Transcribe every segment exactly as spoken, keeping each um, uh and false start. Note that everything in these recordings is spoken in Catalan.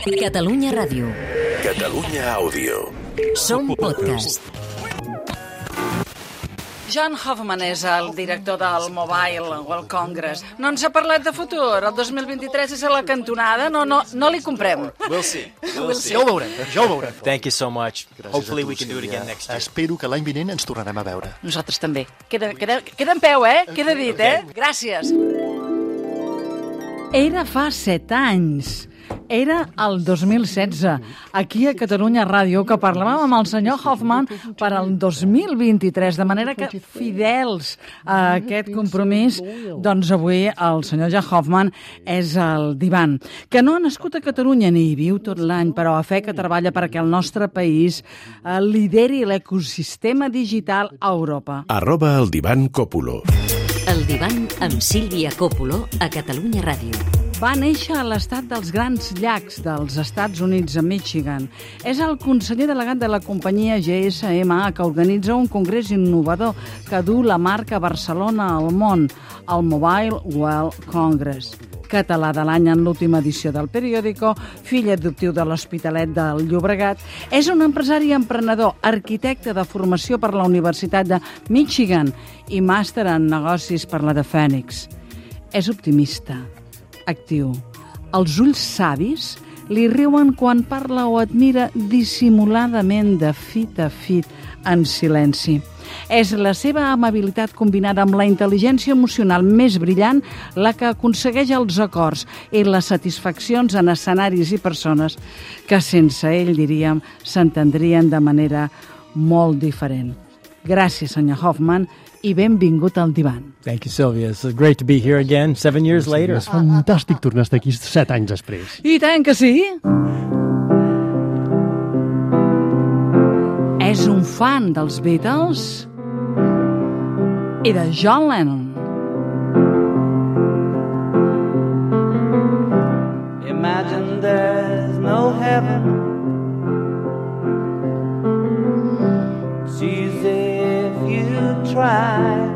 Catalunya Ràdio. Catalunya Àudio. Som podcast. John Hoffman és el director del Mobile World Congress. No ens ha parlat de futur. El dos mil vint-i-tres és a la cantonada. No, no, no li comprem. We'll see. We'll We'll see. see. Ja ho veurem, ja ho veurem. Thank you so much. Gràcies Hopefully a tu, we can do it Sílvia. again next year. Espero que l'any vinent ens tornarem a veure. Nosaltres també. Queda, queda, queda en peu, eh? Queda dit, eh? Gràcies. Era fa set anys. Era el dos mil setze, aquí a Catalunya Ràdio, que parlàvem amb el senyor Hoffman per al dos mil vint-i-tres, de manera que, fidels a aquest compromís, doncs avui el senyor John Hoffman és el divan, que no ha nascut a Catalunya ni hi viu tot l'any, però a fe que treballa perquè el nostre país eh, lideri l'ecosistema digital a Europa. Arroba el divan Còpulo. El divan amb Sílvia Còpulo a Catalunya Ràdio. Va néixer a l'estat dels Grans Llacs dels Estats Units, a Michigan. És el conseller delegat de la companyia G S M A, que organitza un congrés innovador que du la marca Barcelona al món, el Mobile World Congress. Català de l'any en l'última edició del periòdico, fill adoptiu de l'Hospitalet del Llobregat, és un empresari i emprenedor, arquitecte de formació per la Universitat de Michigan i màster en negocis per la de Phoenix. És optimista, actiu. Els ulls savis li riuen quan parla o admira dissimuladament de fit a fit en silenci. És la seva amabilitat combinada amb la intel·ligència emocional més brillant la que aconsegueix els acords i les satisfaccions en escenaris i persones que sense ell, diríem, s'entendrien de manera molt diferent. Gràcies, senyor Hoffman, i benvingut al divan. Thank you, Sylvia. It's great to be here again, seven years later. És fantàstic tornar a estar aquí set anys després. I tant que sí! És un fan dels Beatles i de John Lennon. Imagine there's no heaven. It's easy if you try.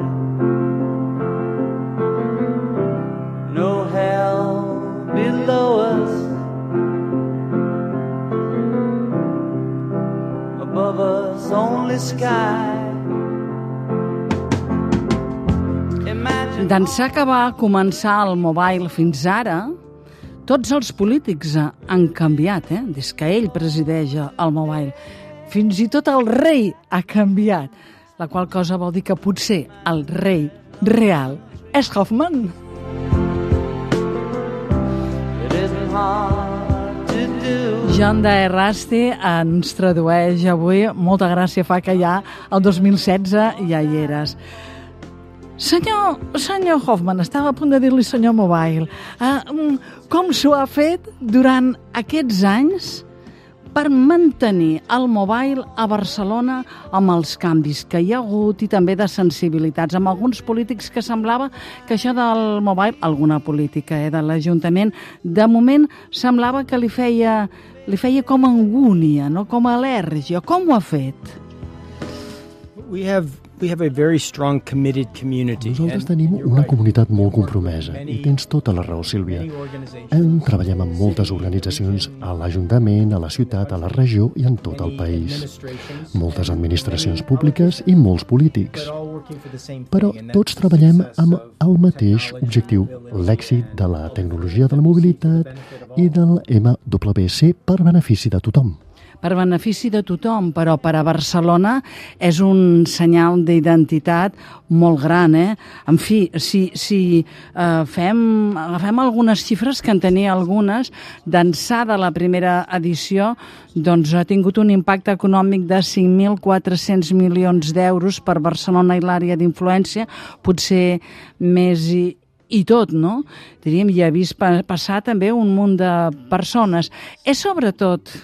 No hell below us. Above us only sky. D'ençà que va començar el mobile fins ara, tots els polítics han canviat, eh? Des que ell presideix el mobile. Fins i tot el rei ha canviat, la qual cosa vol dir que potser el rei real és Hoffman. John de Errasti ens tradueix avui. Molta gràcia fa que ja el dos mil setze ja hi eres. Senyor, senyor Hoffman, estava a punt de dir-li senyor Mobile, uh, com s'ho ha fet durant aquests anys per mantenir el mobile a Barcelona amb els canvis que hi ha hagut i també de sensibilitats, amb alguns polítics que semblava que això del mobile, alguna política eh, de l'Ajuntament, de moment semblava que li feia, li feia com angúnia, no? Com al·lèrgia. Com ho ha fet? We have we have a very strong committed community. Nosaltres tenim una comunitat molt compromesa i tens tota la raó, Sílvia. En treballem amb moltes organitzacions a l'Ajuntament, a la ciutat, a la regió i en tot el país. Moltes administracions públiques i molts polítics. Però tots treballem amb el mateix objectiu, l'èxit de la tecnologia de la mobilitat i del M W C per benefici de tothom. Per benefici de tothom, però per a Barcelona és un senyal d'identitat molt gran, eh? En fi, si, si eh, fem, agafem algunes xifres, que en tenia algunes, d'ençà de la primera edició, doncs ha tingut un impacte econòmic de cinc mil quatre-cents milions d'euros per Barcelona i l'àrea d'influència, potser més i, i tot, no? Diríem, hi ha vist passar també un munt de persones. És sobretot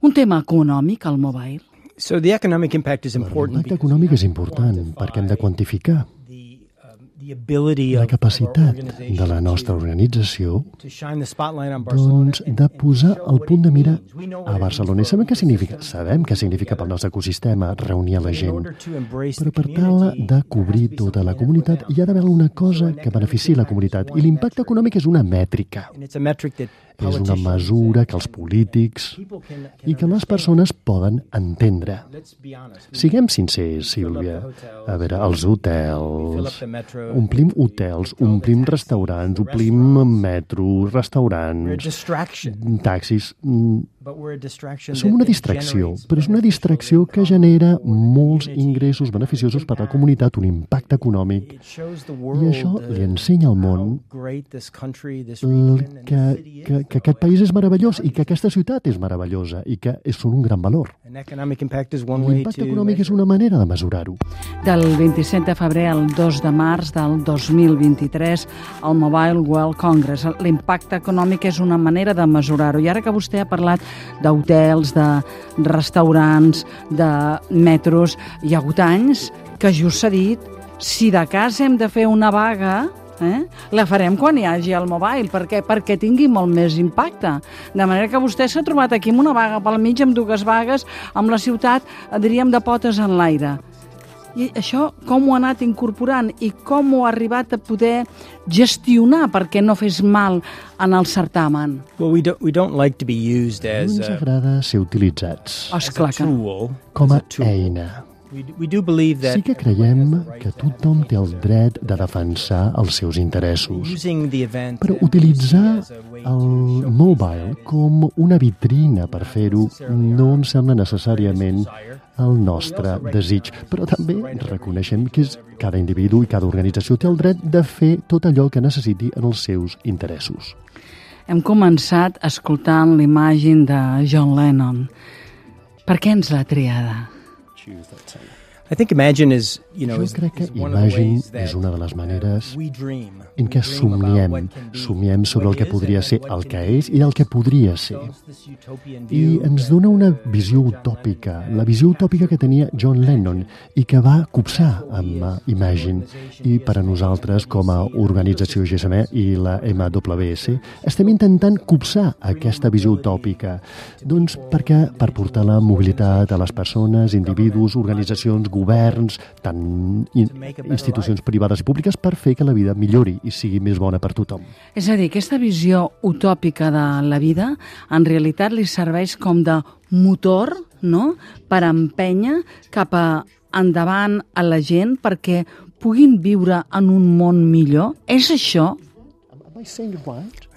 un tema econòmic, el mobile? So the economic impact is important. L'impacte econòmic és important perquè hem de quantificar la capacitat de la nostra organització doncs, de posar el punt de mira a Barcelona. I sabem què significa? Sabem què significa pel nostre ecosistema reunir a la gent. Però per tal de cobrir tota la comunitat hi ha d'haver una cosa que benefici la comunitat. I l'impacte econòmic és una mètrica. és una mesura que els polítics i que les persones poden entendre. Siguem sincers, Sílvia. A veure, els hotels... Omplim hotels, omplim restaurants, omplim metros, restaurants, taxis... Som una distracció, però és una distracció que genera molts ingressos beneficiosos per a la comunitat, un impacte econòmic. I això li ensenya al món que, que, que aquest país és meravellós i que aquesta ciutat és meravellosa i que són un gran valor. L'impacte econòmic és una manera de mesurar-ho. Del vint-i-set de febrer al dos de març del dos mil vint-i-tres, al Mobile World Congress. L'impacte econòmic és una manera de mesurar-ho. I ara que vostè ha parlat d'hotels, de restaurants, de metros, hi ha hagut anys que just s'ha dit, si de cas hem de fer una vaga, eh, la farem quan hi hagi el mobile, perquè, perquè tingui molt més impacte. De manera que vostè s'ha trobat aquí amb una vaga pel mig, amb dues vagues, amb la ciutat, diríem, de potes en l'aire. I això com ho ha anat incorporant i com ho ha arribat a poder gestionar perquè no fes mal en el certamen? Well, we don't, we don't like to be used as No ens agrada ser utilitzats Esclar que no. com a eina. We, we do believe that Sí que creiem que tothom té el dret de defensar els seus interessos, using the event però utilitzar el mobile com una vitrina per fer-ho no em sembla necessàriament el nostre desig, però també reconeixem que és, cada individu i cada organització té el dret de fer tot allò que necessiti en els seus interessos. Hem començat escoltant l'imatge de John Lennon. Per què ens l'ha triada? I think Imagine is, you know, Jo is, crec que is one of the Imagine ways that és una de les maneres we dream. en què We dream about somiem, what can be, somiem sobre what el que is podria and ser what el can que be. és i el que podria ser. This utopian I view ens that- dona una visió utòpica, la visió utòpica que tenia John Lennon i que va copsar amb uh, Imagine. I per a nosaltres, com a organització G S M i la M W S, estem intentant copsar aquesta visió utòpica. Doncs perquè per portar la mobilitat a les persones, individus, organitzacions, governs, tant in, institucions privades i públiques, per fer que la vida millori i sigui més bona per tothom. És a dir, aquesta visió utòpica de la vida en realitat li serveix com de motor, no?, per empènyer cap a endavant a la gent perquè puguin viure en un món millor. És això?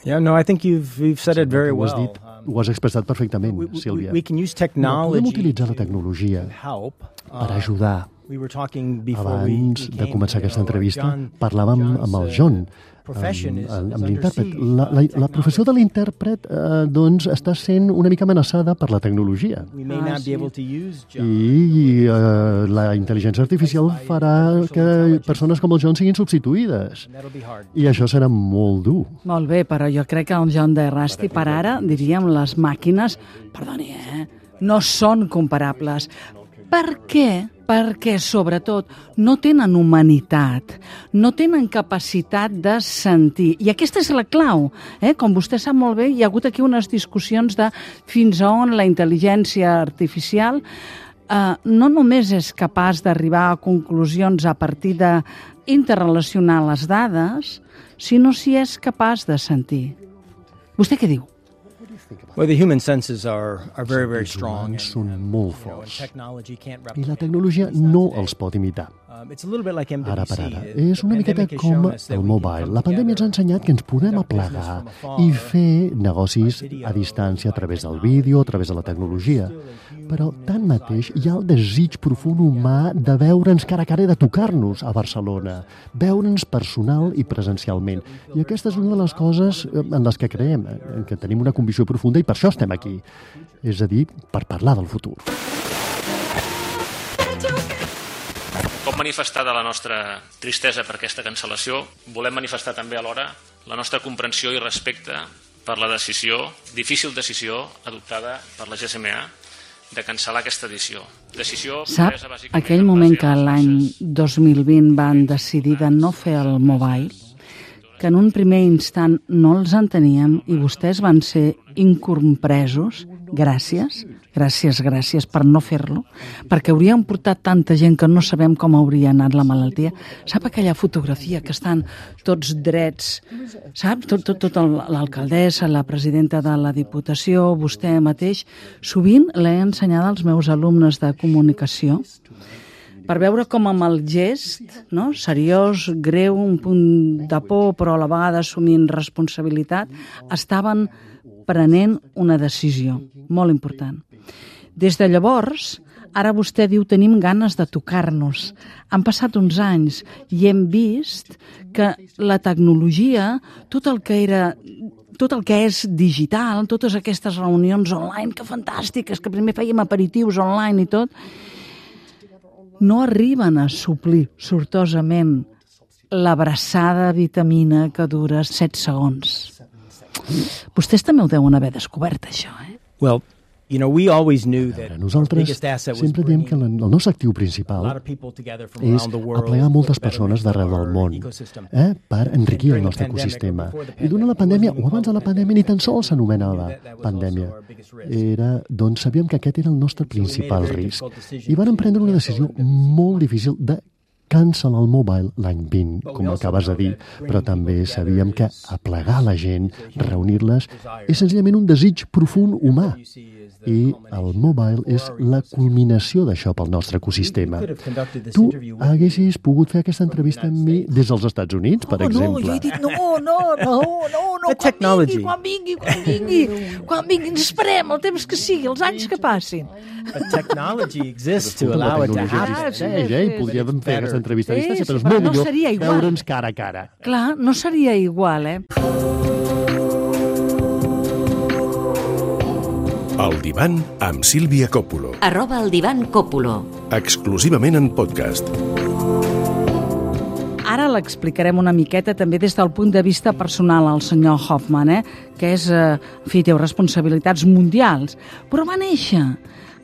Yeah, no, I think you've, you've said it very Ho has well. dit, ho has expressat perfectament, We, we, Sílvia. we can use No, podem technology utilitzar la to tecnologia help. per Uh, ajudar. we were talking before we, Abans we de came començar here, aquesta entrevista, John- parlàvem John's, amb el uh, John, profession amb, is- amb, is amb under l'intèrpret. siege La, la, by la professió de l'intèrpret eh, doncs, està sent una mica amenaçada per la tecnologia. We may Ah, not sí. be able to use John. I eh, la intel·ligència artificial farà que persones com el John siguin substituïdes. And that'll be hard. I això serà molt dur. Molt bé, però jo crec que el John de Rusty per ara, diríem, les màquines, perdoni, eh, no són comparables. Per què? Perquè, sobretot, no tenen humanitat, no tenen capacitat de sentir. I aquesta és la clau. Eh? Com vostè sap molt bé, hi ha hagut aquí unes discussions de fins a on la intel·ligència artificial eh, no només és capaç d'arribar a conclusions a partir d'interrelacionar les dades, sinó si és capaç de sentir. Vostè què diu? Well, the human senses are, are very, very Els strong. humans and, són um, molt you know, and forts. technology can't I la replicate tecnologia it. It's not no today. els pot imitar. Um, it's a little bit like M W C. Ara per ara. The- És the una miqueta pandemic has com shown us that el we can mobile. come La pandèmia ens ha together, ensenyat que ens podem conduct business aplegar from afar, i fer negocis a distància a través del vídeo, a través de la tecnologia. Però, tanmateix, hi ha el desig profund humà de veure'ns cara a cara i de tocar-nos a Barcelona, veure'ns personal i presencialment. I aquesta és una de les coses en les que creiem, en què tenim una convicció profunda i per això estem aquí. És a dir, per parlar del futur. Com manifestar de la nostra tristesa per aquesta cancel·lació, volem manifestar també alhora la nostra comprensió i respecte per la decisió, difícil decisió, adoptada per la G S M A de cancel·lar aquesta edició. Decisió Sap, presa bàsicament aquell en moment base que a les l'any nostres- dos mil vint van decidir de no fer el mobile, que en un primer instant no els enteníem i vostès van ser incompresos, gràcies, gràcies, gràcies per no fer-lo, perquè hauríem portat tanta gent que no sabem com hauria anat la malaltia. Sap aquella fotografia que estan tots drets, sap? Tot, tot, tot l'alcaldessa, la presidenta de la Diputació, vostè mateix. Sovint l'he ensenyada als meus alumnes de comunicació per veure com amb el gest, no? Seriós, greu, un punt de por, però a la vegada assumint responsabilitat, estaven prenent una decisió molt important. Des de llavors, ara vostè diu tenim ganes de tocar-nos. Han passat uns anys i hem vist que la tecnologia, tot el que era... tot el que és digital, totes aquestes reunions online, que fantàstiques, que primer fèiem aperitius online i tot, no arriben a suplir sortosament l'abraçada vitamina que dura set segons. Vostès també ho deuen haver descobert, això, eh? Well, you know, we always knew that nosaltres sempre diem que el nostre actiu principal és aplegar moltes persones d'arreu del món eh, per enriquir el nostre ecosistema. I durant la pandèmia, o abans de la pandèmia, ni tan sols s'anomenava pandèmia. Era, doncs sabíem que aquest era el nostre principal risc. I vam prendre una decisió molt difícil de cancel·lar el mobile l'any vint, com acabes de dir, però també sabíem que aplegar la gent, reunir-les, és senzillament un desig profund humà. I el mobile és la culminació d'això pel nostre ecosistema. Tu haguessis pogut fer aquesta entrevista amb mi des dels Estats Units, per exemple. No, jo he dit no, no, no, no, no, quan vingui, quan vingui, quan vingui, quan vingui, ens esperem el temps que sigui, els anys que passin. But technology exists to allow it to happen. I podríem fer aquesta entrevista a distància, però és molt millor veure'ns cara a cara. Clar, no seria igual, eh? El Divan amb Sílvia Coppola. Arroba el Divan Coppola. Exclusivament en podcast. Ara l'explicarem una miqueta també des del punt de vista personal al senyor Hoffman, eh? Que és, eh, en fi, té responsabilitats mundials, però va néixer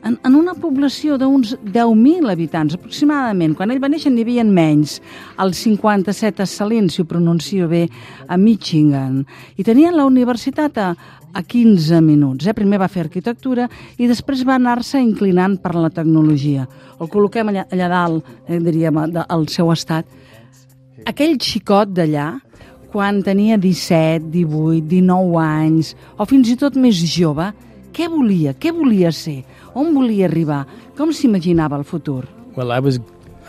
en, en una població d'uns deu mil habitants, aproximadament. Quan ell va néixer n'hi havia menys, al cinquanta-set a Salins, si ho pronuncio bé, a Michigan. I tenien la universitat a, a quinze minuts. Eh? Primer va fer arquitectura i després va anar-se inclinant per la tecnologia. El col·loquem allà, allà dalt, eh, diríem, al seu estat. Aquell xicot d'allà, quan tenia disset, divuit, dinou anys, o fins i tot més jove, què volia? Què volia ser? On volia arribar? Com s'imaginava el futur? Well, I was,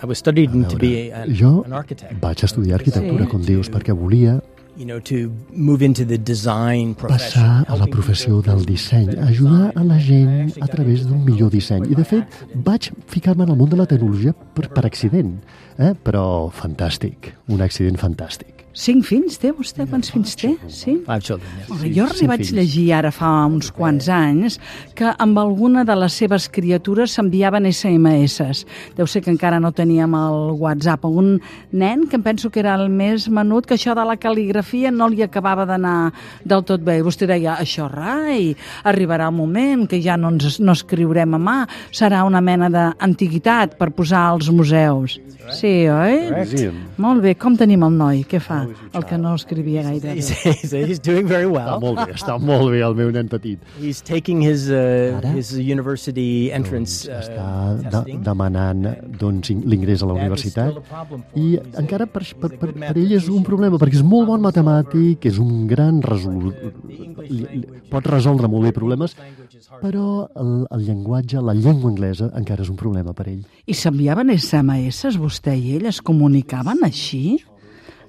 I was studying to be an, jo an architect. vaig estudiar arquitectura, Sí. com dius, perquè volia You know, to move into the design profession. passar a la professió del disseny, ajudar a la gent a través d'un millor disseny. I, de fet, vaig ficar-me en el món de la tecnologia per, per accident, eh? Però fantàstic, un accident fantàstic. Cinc fills té vostè? Quants fills té? Sí? Five children, yes. Molt bé, jo li cinc vaig fills. llegir ara fa uns quants anys que amb alguna de les seves criatures s'enviaven esse eme esses. Deu ser que encara no teníem el WhatsApp. Un nen que em penso que era el més menut, que això de la cal·ligrafia no li acabava d'anar del tot bé. I vostè deia, això rai, arribarà el moment que ja no ens no escriurem a mà, serà una mena d'antiguitat per posar als museus. Sí, oi? Sí. Molt bé, com tenim el noi? Què fa? El que no escrivia gaire bé. He's, he's, he's doing very Està well. molt bé, està molt bé el meu nen petit. He's taking his uh, Ara? his university entrance Doncs uh, està de, testing. demanant doncs, l'ingrés a la universitat i encara per, per, per, per ell és un problema perquè és molt bon matemàtic, és un gran resol... pot resoldre molt bé problemes, però el, el llenguatge, la llengua anglesa encara és un problema per ell. I s'enviaven esse eme esses, vostè i ell? Es comunicaven així?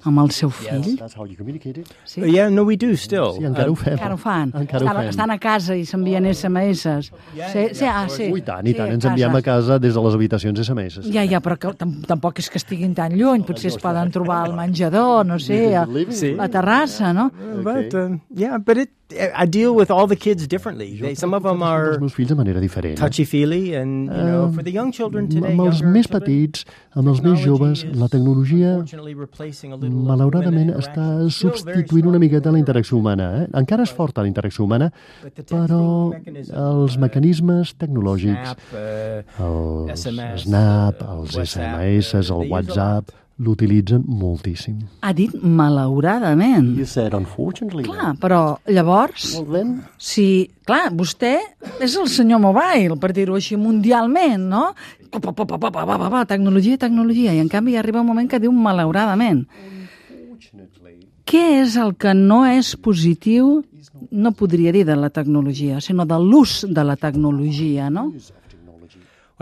Amb el seu fill? That's how you communicate it. Sí? Uh, yeah, no, we do still. Sí, encara ho fem. Encara ho fan? Encara ho estan, fem. estan a casa i s'envien esse eme esses? Sí, sí, ah, sí. Ui, tant, i tant, Sí, ens enviem a casa des de les habitacions esse eme esses. Ja, ja, però que, tam tampoc és que estiguin tan lluny. Potser es poden trobar al menjador, no sé, a, Sí. a terrassa, no? But um, yeah, but it I deal with all the kids differently. They, some of them are Els meus fills de manera diferent. touchy-feely, and you know, for the young children today, Amb els younger més children, petits, amb els més joves, la tecnologia unfortunately replacing a little of malauradament human està interaction. Still very substituint strong. una miqueta la interacció humana. Eh? Encara és forta la interacció humana, però els mecanismes tecnològics, Snap, uh, els S M S, Snap, uh, els WhatsApp, esse eme esses, uh, el they use a WhatsApp, l'utilitzen moltíssim. Ha dit malauradament. You said unfortunately. Clar, però llavors, Well, then... si, clar, vostè és el senyor mobile, per dir-ho així, mundialment, no? Pa, pa, pa, pa, pa, pa, pa, pa, tecnologia, tecnologia, i en canvi arriba un moment que diu malauradament. Què és el que no és positiu, no podria dir de la tecnologia, sinó de l'ús de la tecnologia, no?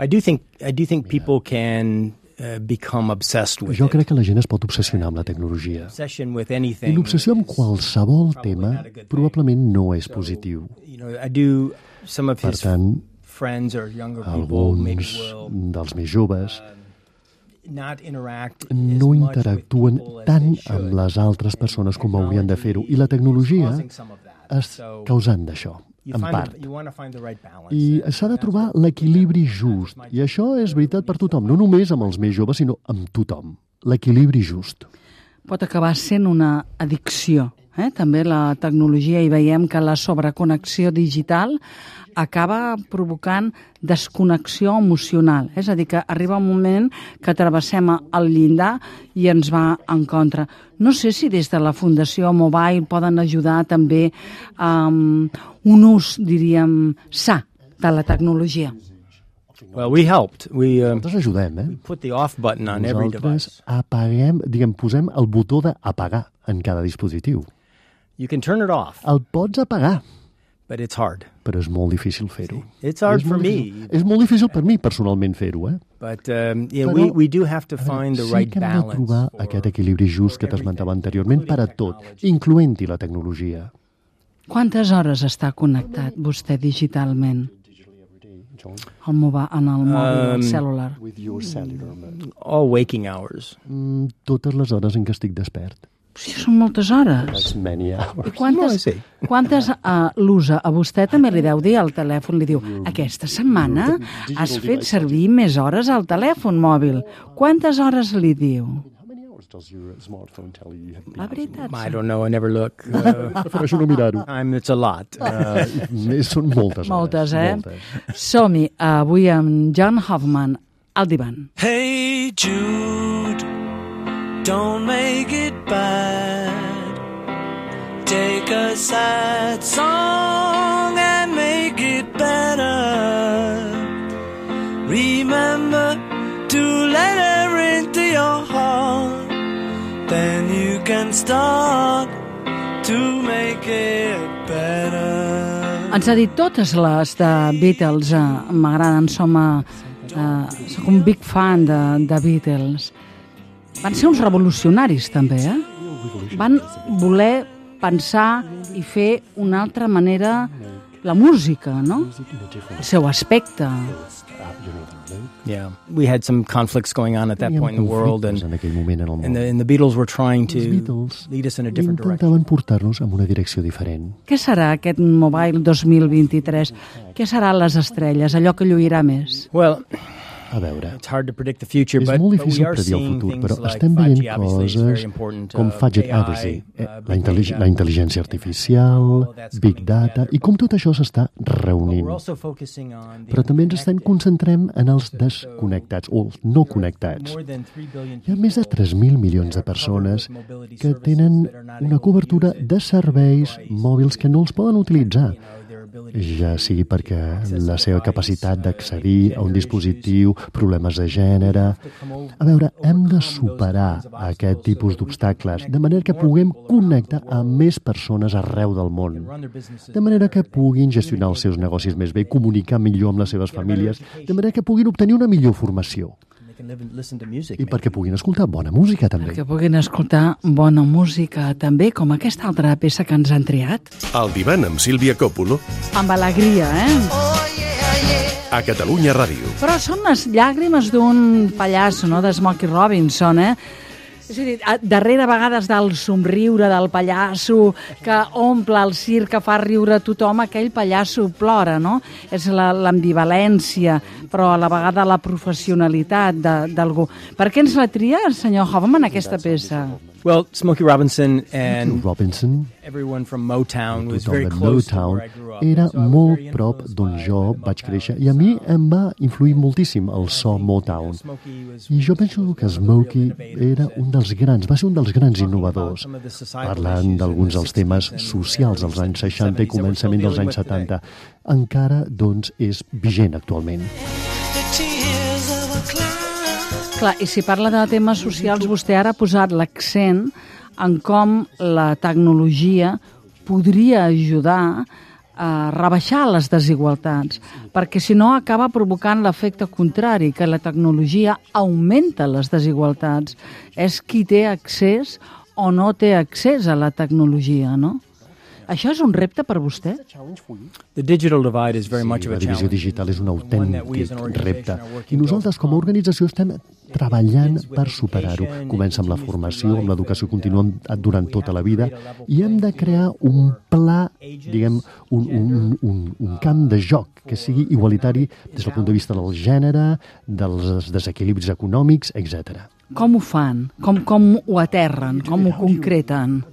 I do think I do think people can uh, become obsessed with Jo it. crec que la gent es pot obsessionar amb la tecnologia. Obsession with I anything. l'obsessió amb qualsevol tema probablement no és positiu. You know, I do some of Per his tant, friends or younger people maybe alguns will dels més joves not interact no as much interactuen with people as tant they should. amb les altres persones com haurien de fer-ho. I la tecnologia Causing some of that. és So causant d'això, you en find part. the, you want to find the right balance. I s'ha de trobar l'equilibri just. I això és veritat per tothom, no només amb els més joves, sinó amb tothom. L'equilibri just. Pot acabar sent una addicció. Eh? També la tecnologia, i veiem que la sobreconnexió digital acaba provocant desconnexió emocional. És a dir, que arriba un moment que travessem el llindar i ens va en contra. No sé si des de la Fundació Mobile poden ajudar també a um, un ús, diríem, sa de la tecnologia. Well, we helped. We uh, Nosaltres ajudem, eh? put the off button on every Nosaltres device. apaguem, diguem, posem el botó d'apagar en cada dispositiu. You can turn it off, El pots apagar, but it's hard. però és molt difícil fer-ho. It's hard És for molt me. difícil. És molt difícil per mi, personalment, fer-ho, eh? But um, yeah, Però, we, we do have to a veure, find the sí right que hem de balance. trobar for- aquest equilibri just que t'esmentava anteriorment per a tot, incloent-hi la tecnologia. Quantes hores està connectat vostè digitalment? El mova, en el mòbil, Um, el cèl·lular. all waking hours. Mm, totes les hores en què estic despert. Sí, són moltes hores. That's many I hours. No, I quantes, see. quantes uh, l'usa? A vostè també li deu dir al telèfon, li diu, aquesta setmana has fet servir més hores al telèfon mòbil. Quantes hores li diu? How many hours does your smartphone tell you you have been La veritat. I don't know. I never look. Uh, Prefereixo no mirar-ho. I'm, it's a lot. Uh, Uh, són moltes hores. Moltes, eh? Moltes. Som-hi, avui amb John Hoffman, al divan. Hey Jude, don't make it bad. Take a sad song and make it better. Remember to let her into your heart. Then you can start to make it better. Ens ha dit totes les de Beatles, eh, m'agraden, som, eh, eh, soc un big fan de, de Beatles. Van ser uns revolucionaris, també, eh? Van voler pensar i fer una altra manera la música, no? El seu aspecte. yeah, we had some conflicts going on at that point in the world, and, en aquell moment en el món. and, the, and the Beatles were trying to Els Beatles lead us in a different direction. intentaven portar-nos en una direcció diferent. Què serà aquest Mobile dos mil vint-i-tres? Què serà les estrelles, allò que lluirà més? Well, A veure, it's hard to predict the future, és but, molt but we difícil are predir el seeing futur, things però like estem five veient G, obviously, is very coses important, com uh, Fudget A I, Advocacy, eh, uh, la, big intel·li data. la intel·ligència artificial, Big Data, i com tot això s'està reunint. We're also focusing on the Però també ens estem unconnected. concentrem en els desconnectats, o els no connectats. More than three billion Hi ha més de people tres mil milions de persones que tenen una cobertura de serveis mòbils que no els poden utilitzar, ja sigui perquè la seva capacitat d'accedir a un dispositiu, problemes de gènere... A veure, hem de superar aquest tipus d'obstacles, de manera que puguem connectar amb més persones arreu del món, de manera que puguin gestionar els seus negocis més bé, comunicar millor amb les seves famílies, de manera que puguin obtenir una millor formació i perquè puguin escoltar bona música, també. Que puguin escoltar bona música, també, com aquesta altra peça que ens han triat. El divan amb Sílvia Coppolo Amb alegria, eh? a Catalunya Ràdio. Però són les llàgrimes d'un pallasso, no?, de Smokey Robinson, eh? És a dir, a- darrere a vegades del somriure del pallasso que omple el circ, que fa riure tothom, aquell pallasso plora, no? És la- l'ambivalència, però a la vegada la professionalitat de- d'algú. Per què ens la tria el senyor Hoffman, aquesta peça? Well, Smokey Robinson and Robinson, everyone from Motown was tothom very de close to Motown, where I grew up. era So I was molt very prop influenced d'on by- jo by vaig Motown. créixer i a mi em va influir moltíssim el so Motown. Smokey was I jo penso que Smokey era un dels grans, va ser un dels grans innovadors, parlant d'alguns dels temes socials dels anys seixanta i començament dels anys setanta. Encara, doncs, és vigent actualment. Clar, i si parla de temes socials, vostè ara ha posat l'accent en com la tecnologia podria ajudar a rebaixar les desigualtats, perquè si no acaba provocant l'efecte contrari, que la tecnologia augmenta les desigualtats. És qui té accés o no té accés a la tecnologia, no? Això és un repte per vostè? The digital divide is very Sí, much of la a divisió challenge. digital és un One that we as autèntic an repte. organization are working I nosaltres, com a organització, estem treballant per superar-ho. education, Comença amb la continuous formació, amb l'educació life, contínua uh, durant tota la vida, i hem de crear un pla, diguem, un, un, un, un camp de joc que sigui igualitari des del punt de vista del gènere, dels desequilibris econòmics, etcètera. Com ho fan? Com, com ho aterren? Com ho concreten?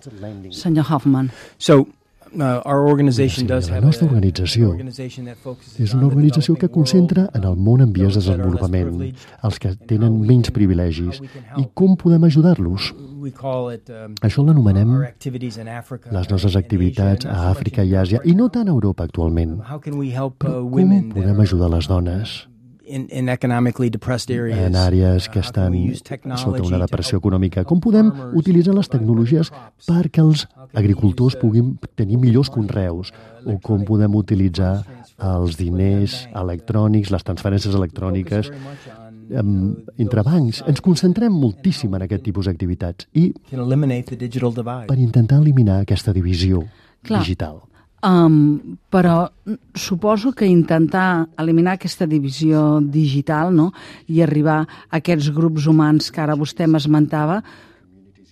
Senyor Hoffman. So, uh, our organization Sí, does la have nostra a- organització an organization that focuses És on una the organització que developing world, concentra en el món en vies de those that are less desenvolupament, privileged, els que tenen menys privilegis, i com podem ajudar-los. We call it, um, Això l'anomenem our activities in Africa les nostres and activitats Asia, and a not so Àfrica much i in Àsia, i no tant a Europa actualment. How can we help Però uh, com women that podem are ajudar les dones in, in economically depressed areas? en àrees que Uh, how can estan we use technology sota una to depressió help econòmica? Com podem farmers utilitzar les provide tecnologies more crops? perquè els How can we agricultors use, uh, puguin tenir millors conreus? O com podem utilitzar els diners electrònics, les transferències electròniques Focus very much on, em, entre bancs. Ens concentrem moltíssim en aquest tipus d'activitats i can eliminate the digital divide. per intentar eliminar aquesta divisió Clar. digital. Um, però suposo que intentar eliminar aquesta divisió digital, no?, i arribar a aquests grups humans que ara vostè m'esmentava,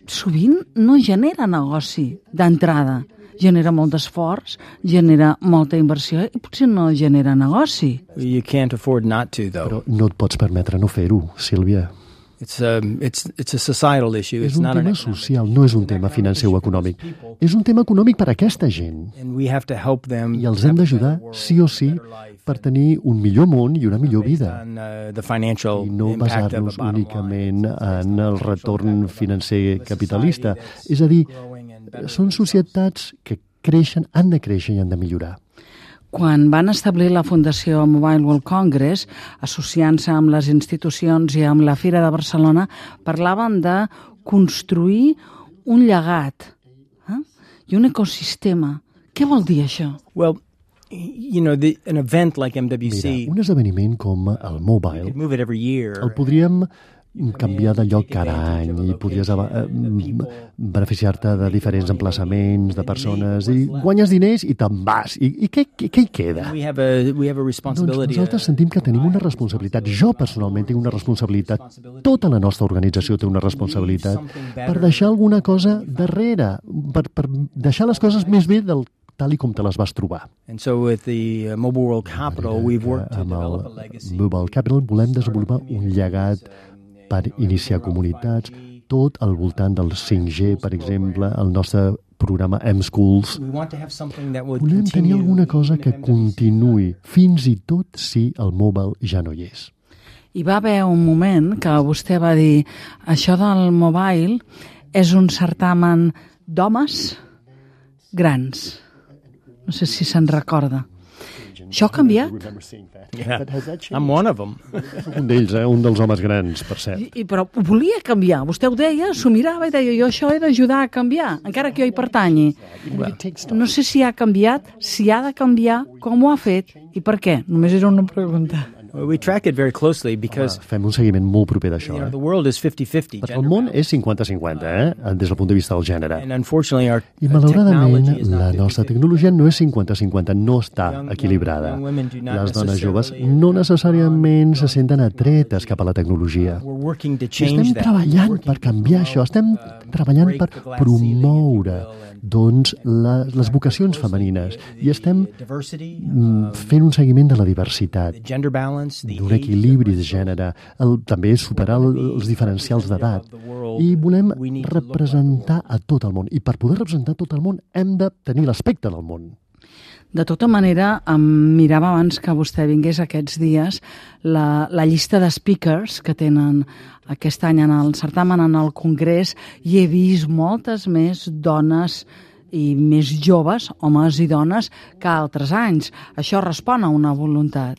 sovint no genera negoci d'entrada. Genera molt d'esforç, genera molta inversió i potser no genera negoci. You can't afford not to, though. Però no et pots permetre no fer-ho, Sílvia. It's a, it's, it's a societal issue. És It's un not an tema economic social, issue. no és un It's an tema economic financer o issue for econòmic. those people. És un tema econòmic per a aquesta gent. And we have to help them I els hem d'ajudar, sí o sí, per tenir un millor món i una millor vida. on uh, the financial I no impact of a basar-nos bottom únicament line. en el retorn financer capitalista. És a dir, són societats que creixen, han de créixer i han de millorar. Quan van establir la Fundació Mobile World Congress, associant-se amb les institucions i amb la Fira de Barcelona, parlaven de construir un llegat eh? i un ecosistema. Què vol dir això? Well, you know, the, an event like M W C, Mira, un esdeveniment com el you Mobile could move it every year. el podríem canviar de lloc cada any i podries eh, beneficiar-te de diferents emplaçaments, de persones, i guanyes diners i te'n vas. I, i què, què, què hi queda? We have a we have a Doncs responsibility. nosaltres uh, sentim que tenim una responsabilitat. Jo personalment tinc una responsabilitat. Tota la nostra organització té una responsabilitat per deixar alguna cosa darrere, per, per deixar les coses més bé del tal i com te les vas trobar. And so with the uh, Mobile World Capital, we've worked to Amb develop a el legacy. Mobile Capital volem desenvolupar un llegat per iniciar comunitats, tot al voltant del cinc G, per exemple, el nostre programa M-Schools. We want to have something that would Volem tenir continue alguna cosa even que if M W C continuï, fins i tot si el mobile ja no hi és. Hi va haver un moment que vostè va dir això del mobile és un certamen d'homes grans. No sé si se'n recorda. Això ha canviat? Yeah, I'm one of them. Un d'ells, eh? Un dels homes grans, per cert. I, i, però ho volia canviar. Vostè ho deia, s'ho mirava i deia jo això he d'ajudar a canviar, encara que jo hi pertanyi. No sé si ha canviat, si ha de canviar, com ho ha fet i per què. Només era una pregunta. Well, we track it very closely because Fem un seguiment molt proper d'això, you know, eh? the world is fifty fifty. Perquè el món és cinquanta cinquanta, eh? Des del punt de vista del gènere. And unfortunately, our I uh, malauradament technology is la not nostra fifty fifty. tecnologia no és cinquanta cinquanta, no està Young- equilibrada. young women do not Les dones joves necessarily no necessàriament se senten atretes cap a la tecnologia. We're working to I change estem that. treballant Working per to canviar això, promote, estem uh, treballant break per the glass ceiling, if you promoure will, and doncs, la, les vocacions femenines i estem diversity, mm, fent un seguiment de la diversitat, the gender balance. balance, the d'un equilibri de gènere, el, també superar el, els diferencials d'edat. I volem representar a tot el món. I per poder representar tot el món hem de tenir l'aspecte del món. De tota manera, em mirava abans que vostè vingués aquests dies la, la llista de speakers que tenen aquest any en el certamen, en el Congrés, i he vist moltes més dones i més joves, homes i dones, que altres anys. Això respon a una voluntat.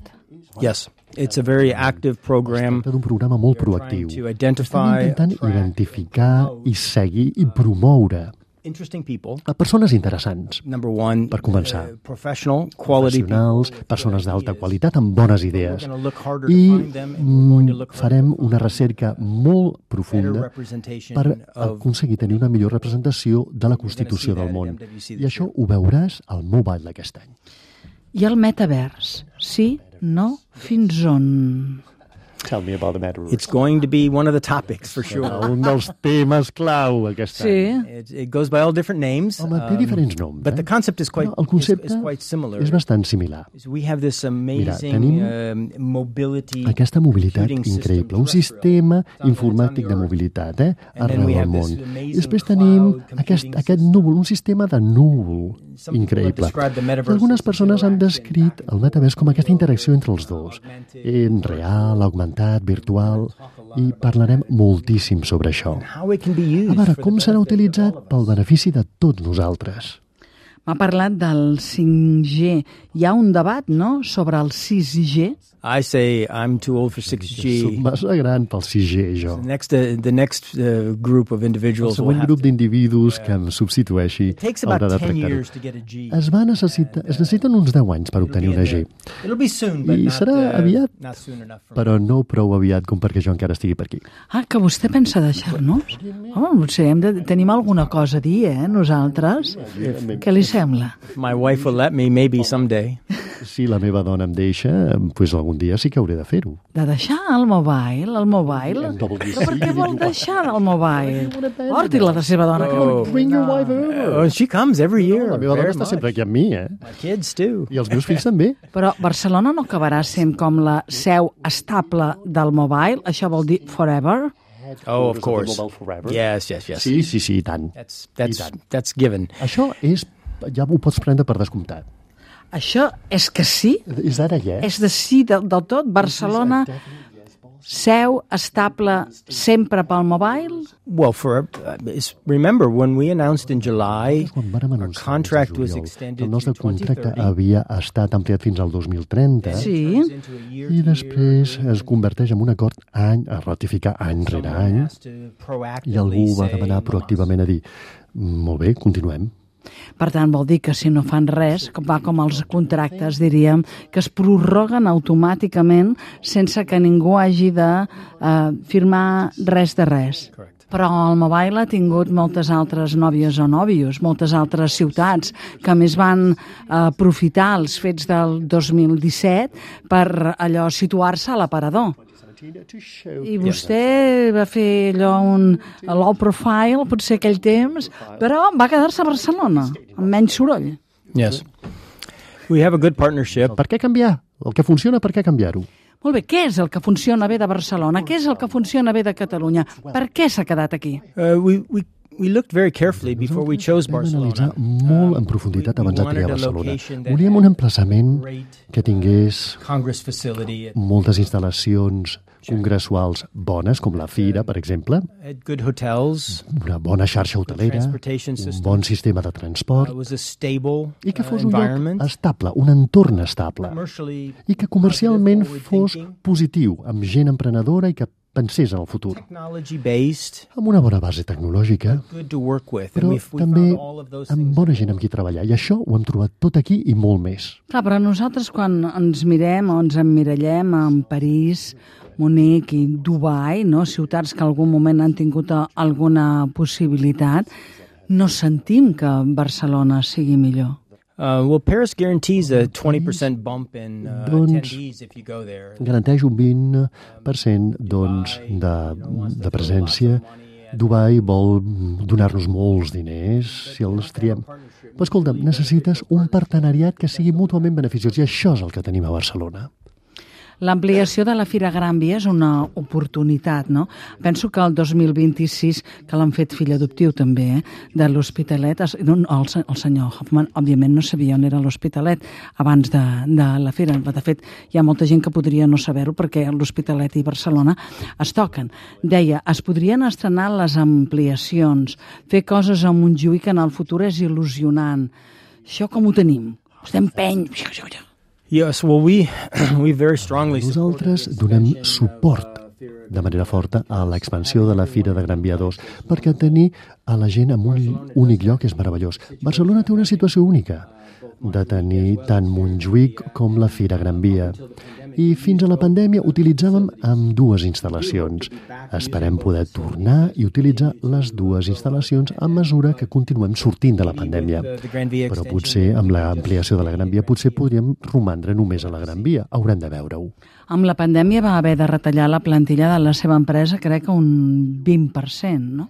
Yes, it's a very active program. Es tracta d'un programa molt proactiu. To Estem identify, intentant identificar i seguir i promoure interesting people. a persones interessants. Number one, Per començar, uh, professional, quality professionals, persones d'alta qualitat amb bones idees. We're going to look harder to I find them, and we're going to mm, look for farem una recerca molt better profunda representation per of aconseguir tenir una millor representació de la Constitució del món. I això ho veuràs al Mobile d'aquest any. I el metavers? Sí? No? Fins on? Tell me about the metaverse. It's going to be one of the topics, for sure. Un dels temes clau aquest Sí. any. It, it goes by all different names. Home, té um, diferents noms. But eh? the concept is quite, No, el concepte is, is quite similar. és bastant similar. We have this amazing tenim um, mobility Aquesta mobilitat computing system increïble, un terrestrial. sistema It's on the- informàtic it's de on the mobilitat eh? And then we arreu del have món. this amazing I després tenim cloud aquest, computing aquest system. núvol, un sistema de núvol Some people have increïble. described the metaverse I algunes as persones han interaction descrit el metavers com aquesta interacció entre els dos, en real, augmentat, virtual, i parlarem moltíssim sobre això. How it can be used A veure, for com the serà benefit of all utilitzat of us. pel benefici de tots nosaltres. M'ha parlat del cinc G. Hi ha un debat, no?, sobre el sis G. I say I'm too old for six Soc G. massa gran pel sis G, jo. The next, uh, the next uh, group of El individuals will següent have grup to, d'individus que em substitueixi it takes haurà about de ten tractar-ho. years to get a G. Es, va necessita, es necessiten uns deu anys per obtenir una G, It'll be soon, but I not, serà uh, aviat, not soon enough for me. però no prou aviat com perquè jo encara estigui per aquí. Ah, que vostè pensa deixar-nos? Home, potser hem de, tenim alguna cosa a dir, eh, nosaltres? Què li sembla? My wife will let me, maybe someday. Si la meva dona em deixa, doncs algun dia sí que hauré de fer-ho. De deixar el mobile, el mobile? Però per què vol deixar el mobile? Porti la de seva dona. Oh. Que... Bring your wife over. Oh, she comes every year. La meva dona very està much. sempre aquí amb mi, eh? My kids too. I els meus fills també. Però Barcelona no acabarà sent com la seu estable del mobile? Això vol dir forever? Oh, of course. Mobile forever. Yes, yes, yes. Sí, sí, sí, i tant. That's that's I tant. that's given. Això és, ja ho pots prendre per descomptat. Això és que sí? És ara ja. És de sí del, del tot? Barcelona, seu estable sempre pel mobile? Well, for uh, is- remember when we announced in July, Quan vàrem our anunciar contract el was juliol, extended el nostre to twenty contracte thirty. havia estat ampliat fins al dos mil trenta Sí. i després es converteix en un acord any a ratificar any rere any i algú va demanar proactivament a dir molt bé, continuem. Per tant, vol dir que si no fan res, com va com els contractes, diríem, que es prorroguen automàticament sense que ningú hagi de eh, firmar res de res. Però el mobile ha tingut moltes altres nòvies o nòvios, moltes altres ciutats que a més van eh, aprofitar els fets del dos mil disset per allò situar-se a l'aparador. I vostè va fer allò un low profile, potser aquell temps, però va quedar-se a Barcelona, amb menys soroll. Yes. We have a good partnership. Per què canviar? El que funciona, per què canviar-ho? Molt bé, què és el que funciona bé de Barcelona? Què és el que funciona bé de Catalunya? Per què s'ha quedat aquí? Uh, we we we looked very carefully before we chose Vam analitzar Barcelona. molt en profunditat we abans de wanted triar a Barcelona. location that Volíem had un emplaçament great que tingués Congress facility. It moltes instal·lacions congressuals bones, com la Fira, per exemple, had good hotels. una bona xarxa hotelera, transportation un system. bon sistema de Uh, transport it was a stable i que uh, fos un lloc environment. estable, un entorn estable Commercially i que comercialment positive, fos forward-thinking. positiu, amb gent emprenedora i que pensés en el futur, technology based, amb una bona base tecnològica, good to work with. però and we've, we també found all of those amb things. bona gent amb qui treballar. I això ho hem trobat tot aquí i molt més. Clar, però nosaltres quan ens mirem o ens emmirallem en París, Munic i Dubai, no? Ciutats que en algun moment han tingut a- alguna possibilitat, no sentim que Barcelona sigui millor. Uh, well, Paris guarantees a twenty percent bump in uh, Doncs- attendees if you go there. Garanteix un vint per cent doncs, de, de presència. Dubai vol donar-nos molts diners si els triem. Però escolta'm, necessites un partenariat que sigui mútuament beneficiós i això és el que tenim a Barcelona. L'ampliació de la Fira Gran Via és una oportunitat, no? Penso que el dos mil vint-i-sis, que l'han fet fill adoptiu també, eh, de l'Hospitalet, es- no, el, se- el senyor Hoffman, òbviament, no sabia on era l'Hospitalet abans de, de la Fira. De fet, hi ha molta gent que podria no saber-ho perquè l'Hospitalet i Barcelona es toquen. Deia, es podrien estrenar les ampliacions, fer coses a Montjuïc en el futur és il·lusionant. Això com ho tenim? Estem peny... Yes, well, we, we very strongly Nosaltres donem suport de manera forta a l'expansió de la Fira de Gran Via dos, perquè tenir a la gent en un únic lloc és meravellós. Barcelona té una situació única, de tenir tant Montjuïc com la Fira Gran Via. I fins a la pandèmia utilitzàvem amb dues instal·lacions. Esperem poder tornar i utilitzar les dues instal·lacions a mesura que continuem sortint de la pandèmia. Però potser amb l'ampliació de la Gran Via potser podríem romandre només a la Gran Via. Haurem de veure-ho. Amb la pandèmia va haver de retallar la plantilla de la seva empresa, crec que un vint per cent, no?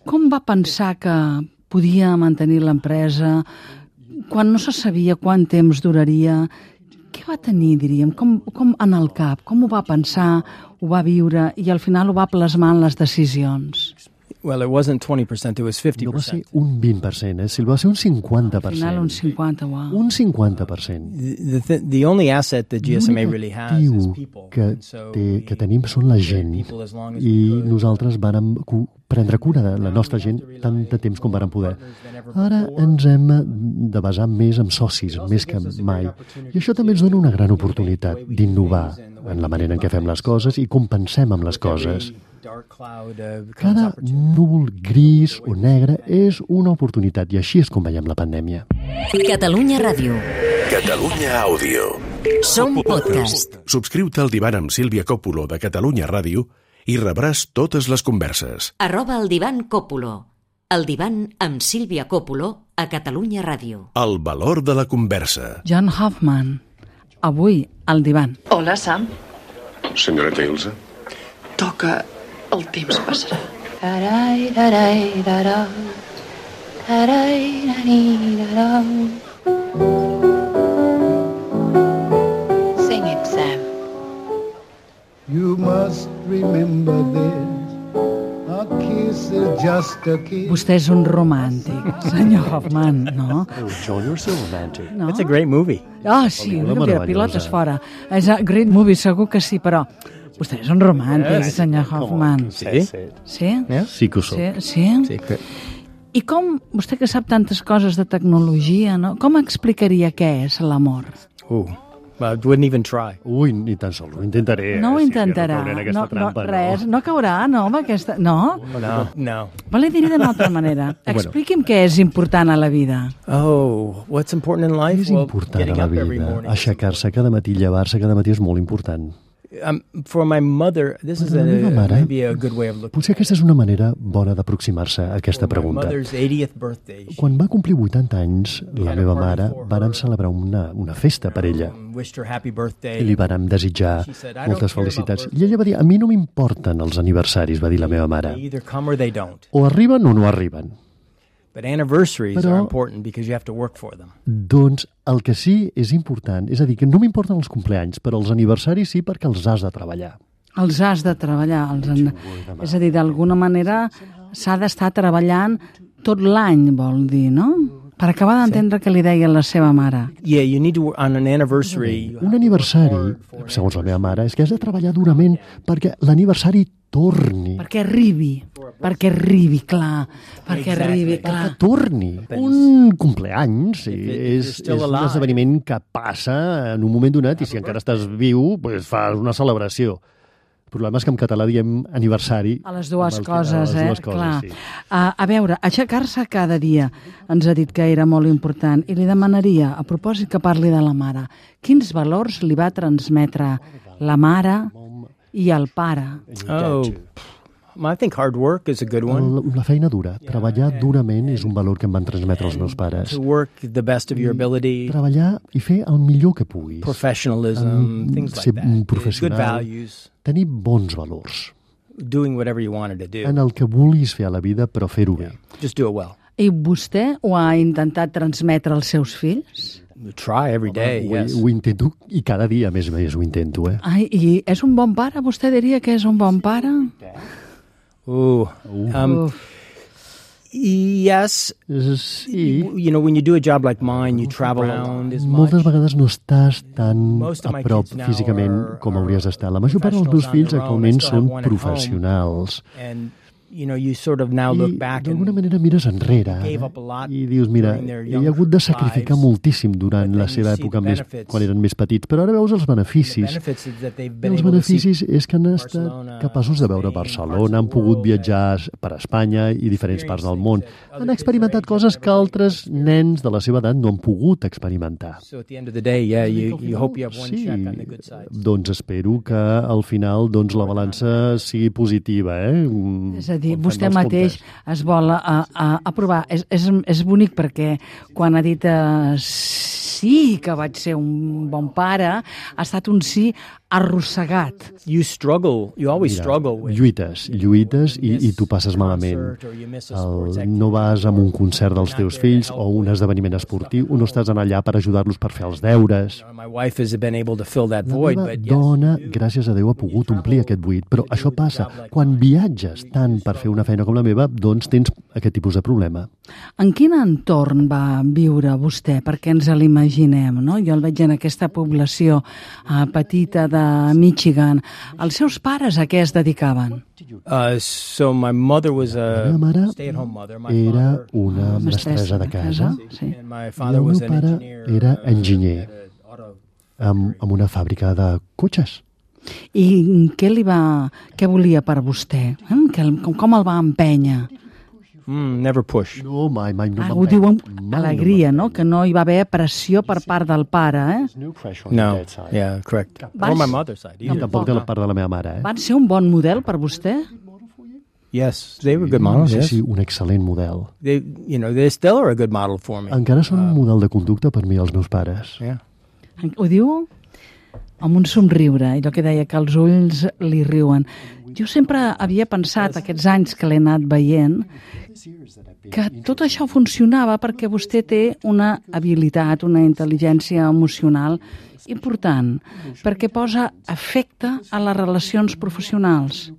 Com va pensar que podia mantenir l'empresa quan no se sabia quant temps duraria? Què va tenir, diríem? Com, com en el cap? Com ho va pensar, ho va viure i al final ho va plasmar en les decisions? Well, it wasn't twenty percent, it was fifty No va ser percent. un vint per cent, eh? Si va ser un cinquanta per Al final un cent. cinquanta, uau. Un cinquanta per cent. The, the, the only asset that G S M A really has is L'actiu people. que, And so té, we que tenim són la gent people as long as i we could. nosaltres vàrem cu- prendre cura de la nostra gent tant de temps com vàrem poder. Ara ens hem de basar més en socis, més que mai. I això també ens dona una gran oportunitat d'innovar en la manera en què fem les coses i com pensem amb les coses. Dark cloud, uh, becomes Cada opportunity. núvol gris o negre és una oportunitat i així és com veiem la pandèmia. Catalunya Ràdio. Catalunya Àudio. Som podcast. Subscriu-te al Divan amb Sílvia Còpolo de Catalunya Ràdio i rebràs totes les converses. Arroba el divan Còpolo. El divan amb Sílvia Còpolo a Catalunya Ràdio. El valor de la conversa. John Hoffman, avui al divan. Hola, Sam. Senyoreta Ilse. Toca El temps passarà. Tarai, tarai, tarau. Tarai, nani, tarau. Sing it, Sam. You must remember this. A kiss is just a kiss. Vostè és un romàntic, senyor Hoffman, no? Oh, John, you're so romantic. No? It's a great movie. Ah, sí, Pel·lícula una meravellosa. pilotes fora. És a great movie, segur que sí, però vostè és un romàntic, senyor Hoffman. Sí? Sí? Yeah? Sí que ho soc. Sí? Sí? Sí, que- I com, vostè que sap tantes coses de tecnologia, no? Com explicaria què és l'amor? Ooh, well, I wouldn't even try. Ui, ni tan sols, ho intentaré. No ho eh, Sílvia, intentarà. No, cauré en aquesta No, no, trampa, res, no caurà, no, amb aquesta... No? No, no. Vol dir d'una altra manera. Expliqui'm què és important a la vida. Oh, what's important in life? És Well, important a getting la up every vida. morning. Aixecar-se cada matí, llevar-se cada matí és molt important. Um, for my mother, this is Per a, la meva mare, maybe a good way of looking. Potser aquesta és una manera bona d'aproximar-se a aquesta For my pregunta. mother's eightieth birthday, she Quan va complir vuitanta anys, la meva mare, vàrem celebrar una, una festa per ella. wished her happy birthday. I li vàrem desitjar moltes felicitats. I ella va dir, a mi no m'importen els aniversaris, va dir la meva mare. They either come or they don't. O arriben o no arriben. But anniversaries Però- are important because you have to work for them. Doncs el que sí és important, és a dir, que no m'importen els compleanys, però els aniversaris sí perquè els has de treballar. Els has de treballar. Els han... És a dir, d'alguna manera s'ha d'estar treballant tot l'any, vol dir, no? Per acabar d'entendre què li deia la seva mare. Yeah, you need to work on an anniversary. Un aniversari, segons la meva mare, és que has de treballar durament perquè l'aniversari torni. Perquè arribi, perquè arribi, clar, perquè arribi, Que clar. torni. Un compleany sí, If it- és, you're still és un alive. esdeveniment que passa en un moment donat i si encara estàs viu, pues fas una celebració. El problema és que en català diem aniversari. A les dues amb el que- coses, a les eh? dues coses, Clar. sí. A, a veure, aixecar-se cada dia ens ha dit que era molt important i li demanaria, a propòsit que parli de la mare, quins valors li va transmetre la mare i el pare? Oh, I think hard work is a good one. El, la feina dura. Treballar durament és un valor que em van transmetre els meus pares. To work the best of your ability, Treballar i fer el millor que puguis. professionalism, Um, things ser like un that. professional. Good values, Tenir bons valors doing whatever you wanted to do. en el que vulguis fer a la vida, però fer-ho bé. Just do it well. I vostè ho ha intentat transmetre als seus fills? Try every day, ho, yes. Ho intento i cada dia, a més a més, ho intento, eh? Ai, i és un bon pare? Vostè diria que és un bon pare? Ooh. Um, Uf. Yes. Sí. You know, when you do a job like mine, you travel around as much. Moltes vegades no estàs tan Most of a my prop kids now físicament are- com hauries d'estar. La major part dels meus fills actualment són professionals. And, you know, you sort of now look I back d'alguna and manera mires enrere gave ara, up a lot i dius, mira, during their he younger hagut de sacrificar lives, moltíssim durant but la then seva you see època the més, benefits. quan eren més petits, però ara veus els the beneficis. benefits is that they've I been els able to see beneficis és que han estat Barcelona, capaços de veure Spain, Barcelona, parts han of the pogut world, viatjar per Espanya i diferents parts del món. that other Han kids experimentat their age coses never que really altres nens de la seva edat no han pogut experimentar. So at the end of the day, yeah, you, you hope you have one Sí, check on the good side. doncs espero que al final doncs, la balança sigui positiva. Eh? És a dir, Quan fem vostè els mateix comptes. es vol a, a, aprovar. És, és, és bonic perquè quan ha dit eh, sí que vaig ser un bon pare, ha estat un sí arrossegat. You struggle, you always Mira, struggle with lluites, lluites i, i tu passes malament. El, no vas a un concert dels teus fills o un esdeveniment esportiu, o no estàs allà per ajudar-los per fer els deures. My wife has been able to fill that La void, meva but yes, dona, gràcies a Déu, ha pogut omplir aquest buit, però això passa. Quan viatges tant per fer una feina com la meva, doncs tens aquest tipus de problema. En quin entorn va viure vostè? Perquè ens l'imaginem, no? Jo el veig en aquesta població eh, petita de Michigan. Els seus pares a què es dedicaven? uh, so my mother was La a meva mare stay-at-home mother. My era father, una mestressa de casa Sí. and my i father el was meu an pare engineer. era uh, enginyer at a auto- amb, amb una fàbrica de cotxes. I què li va, què volia per vostè? Eh? Que, el- com, com el va empènyer? Mm, never push. No, mai, mai no Ah, m'empeny. ho diu amb Mai alegria, no no? Que no hi va haver pressió per part del pare, eh? m'empeny. No, yeah, correct. Vas- Or my mother's side. No, either. Tampoc de la part de la meva mare, eh? Van ser un bon model per vostè? Yes, they were good No models. sé Yes, si un excel·lent model. they, you know, they still are a good model for me. Encara són un model de conducta per mi els meus pares. Yeah. Ho diu amb un somriure, allò que deia que els ulls li riuen. Jo sempre havia pensat, aquests anys que l'he anat veient, que tot això funcionava perquè vostè té una habilitat, una intel·ligència emocional important, perquè posa efecte a les relacions professionals.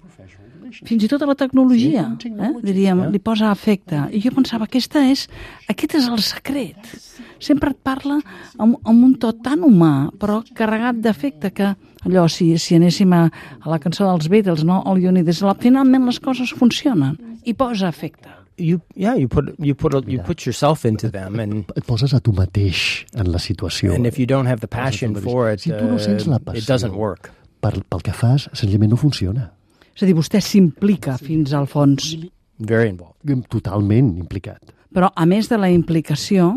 Fins i tot a la tecnologia, eh? diríem, li posa efecte. I jo pensava, aquesta és, aquest és el secret. Sempre et parla amb, amb un to tan humà, però carregat d'efecte, que allò, si, si anéssim a, a la cançó dels Beatles, no? All You Need Is Love, finalment les coses funcionen i posa efecte. You, yeah, you put you put a, you put yourself into them, and Et poses a tu mateix en la situació. and if you don't have the passion for it, Si tu no sents uh, la it passió doesn't work. per, pel que fas, senzillament no funciona. És a dir, vostè s'implica fins al fons. Very involved. Totalment implicat. Però, a més de la implicació,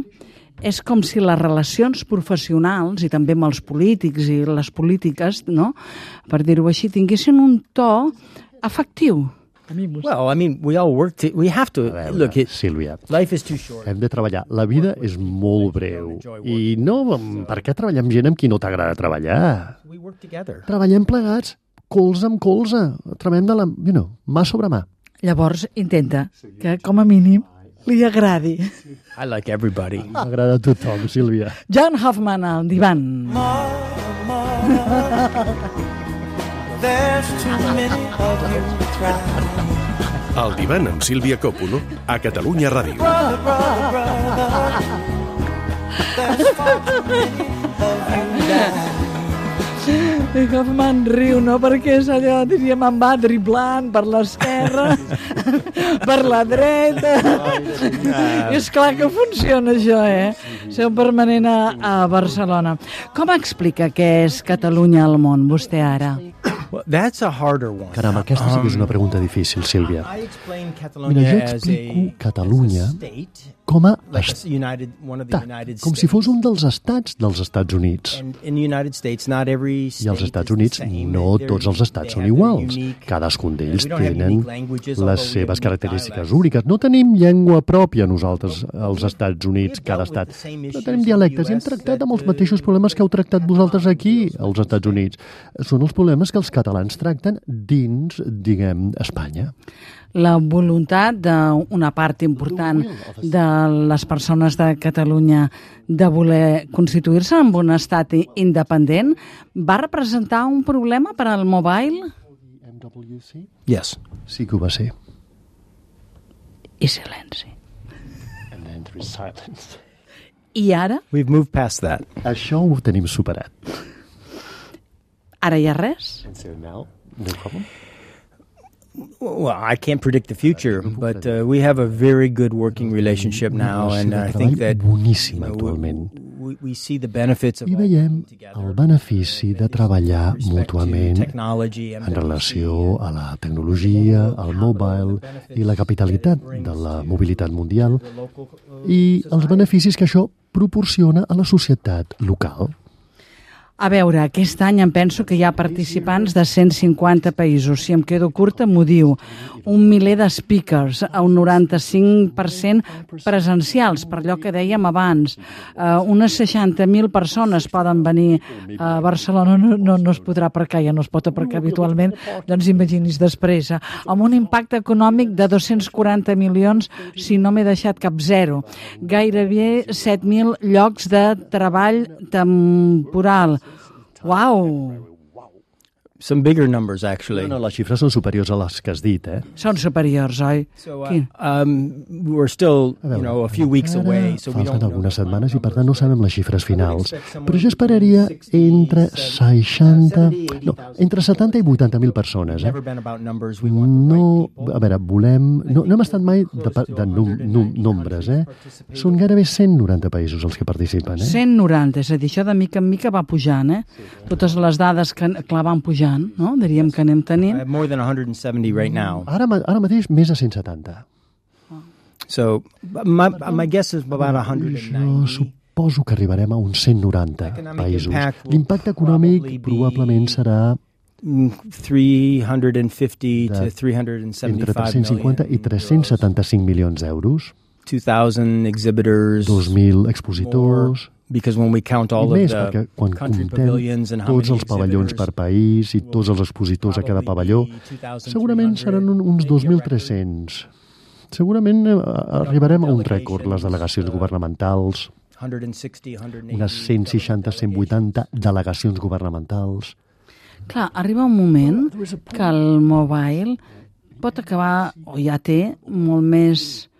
és com si les relacions professionals, i també amb els polítics i les polítiques, no?, per dir-ho així, tinguessin un to afectiu. Well, I mean, we all work. To, we have to A veure, look. It, Sílvia, life is too short. hem de treballar. La vida és molt breu. I no, per què treballar amb gent amb qui no t'agrada treballar? We work together. Treballem plegats, colze amb colze. Treballem de la, you know, mà sobre mà. Llavors, intenta que, com a mínim, li agradi. I like everybody. M'agrada a tothom, Sílvia. John Hoffman, al divan. There's too many of you trying. El divan amb Sílvia Coppola a Catalunya Ràdio. Brother, brother, brother. There's far too many of you dying. I Hoffman riu, no? Perquè és allò, diríem, em va driblant per l'esquerra, per la dreta. I és clar que funciona això, eh? Ser un permanent a, a Barcelona. Com explica què és Catalunya al món, vostè ara? Well, that's a harder one. Caram, aquesta sí que és una pregunta difícil, Sílvia. I explain Mira, Catalonia jo as explico a, Catalunya as a state, com a like a United, one of the estat, United com States. si fos un dels estats dels Estats Units. And in the United States, not every state I als Estats is the Units same. no They're- tots els estats they són have their iguals. unique- Cadascun d'ells We don't have tenen unique languages, although les we have seves unique característiques dialects. úniques. No tenim llengua pròpia nosaltres, als Estats Units, cada estat. No tenim dialectes i hem tractat amb els mateixos problemes que heu tractat vosaltres aquí, als Estats Units. Són els problemes que els catalans tracten dins, diguem, Espanya. la voluntat d'una part important de les persones de Catalunya de voler constituir-se en un estat independent va representar un problema per al mobile? Yes. Sí que ho va ser. I silenci. And then there is silence. I ara? We've moved past that. Això ho tenim superat. Ara hi ha res? And so now, no problem? Well, I can't predict the future, but uh, we have a very good working relationship now, and I think that boníssim actualment. We, we see the benefits of I veiem el benefici de treballar mútuament en relació a la tecnologia, al mobile i la capitalitat de la mobilitat mundial i els beneficis que això proporciona a la societat local. A veure, aquest any em penso que hi ha participants de cent cinquanta països. Si em quedo curta, m'ho diu. Un miler de speakers, un noranta-cinc per cent presencials, per allò que dèiem abans. Uh, unes seixanta mil persones poden venir a Barcelona. No, no, no es podrà aparcar, ja no es pot aparcar habitualment, doncs imaginis després. Amb un impacte econòmic de dos-cents quaranta milions, si no m'he deixat cap zero. Gairebé set mil llocs de treball temporal. Wow! Some bigger numbers, actually. No, no, les xifres són superiors a les que has dit, eh? Són superiors, oi? So, uh, um, we're still, you know, a few weeks away, so we don't falten algunes setmanes i, per tant, no sabem les xifres finals. Però jo esperaria entre seixanta... No, entre setanta i vuitanta mil persones, eh? No, a veure, volem... No, no hem estat mai de, de num, num, nombres, eh? Són gairebé cent noranta països els que participen, eh? cent noranta, és a dir, això de mica en mica va pujant, eh? Totes les dades que, clar, van pujant, no? Diríem que anem tenint. I have more than one hundred seventy right now. Ara, ara mateix més de cent setanta. So, my, my guess is about one hundred ninety. Jo suposo que arribarem a uns cent noranta països. L'impacte econòmic probablement serà three hundred fifty to three hundred seventy-five entre tres-cents cinquanta i tres-cents setanta-cinc milions d'euros. two thousand exhibitors. dos mil expositors. Because when we count all I més, of the quan country pavilions and how tots many els pavellons per país i tots els expositors a cada pavelló, segurament seran uns dos mil tres-cents. Segurament arribarem a un rècord, les delegacions governamentals, unes cent seixanta a cent vuitanta delegacions governamentals. Clar, arriba un moment que el mobile pot acabar, o ja té, molt més